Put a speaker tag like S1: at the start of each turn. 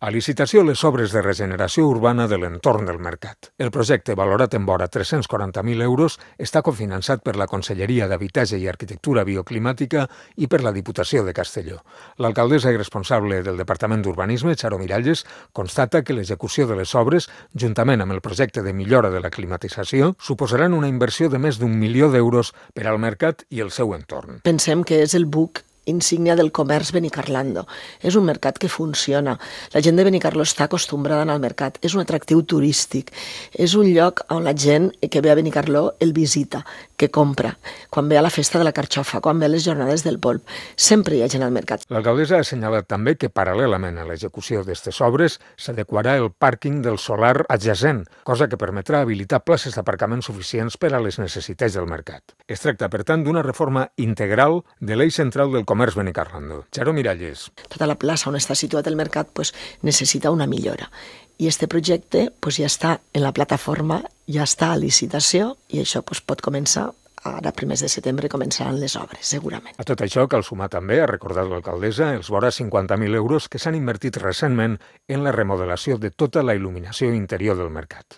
S1: A licitació les obres de regeneració urbana de l'entorn del mercat. El projecte, valorat en vora 340.000 euros, està cofinançat per la Conselleria d'Habitatge i Arquitectura Bioclimàtica i per la Diputació de Castelló. L'alcaldessa i responsable del Departament d'Urbanisme, Charo Miralles, constata que l'execució de les obres, juntament amb el projecte de millora de la climatització, suposaran una inversió de més d'1 milió d'euros per al mercat i el seu entorn.
S2: Pensem que és el buc insígnia del comerç Benicarlando. És un mercat que funciona. La gent de Benicarló està acostumbrada a anar al mercat. És un atractiu turístic. És un lloc on la gent que ve a Benicarló el visita, que compra. Quan ve a la festa de la carxofa, quan ve a les jornades del polp. Sempre hi ha gent al mercat.
S1: L'alcaldessa ha assenyalat també que, paral·lelament a l'execució d'aquestes obres, s'adequarà el pàrquing del solar adjacent, cosa que permetrà habilitar places d'aparcament suficients per a les necessitats del mercat. Es tracta, per tant, d'una reforma integral de l'eix central del comerç Benicarlando. Charo Miralles.
S2: Tota la plaça on està situat el mercat necessita una millora. I este projecte ja està en la plataforma, ja està a licitació i això pot començar. Ara, primers de setembre, començaran les obres, segurament.
S1: A tot això cal sumar també, ha recordat l'alcaldessa, els vora 50.000 euros que s'han invertit recentment en la remodelació de tota la il·luminació interior del mercat.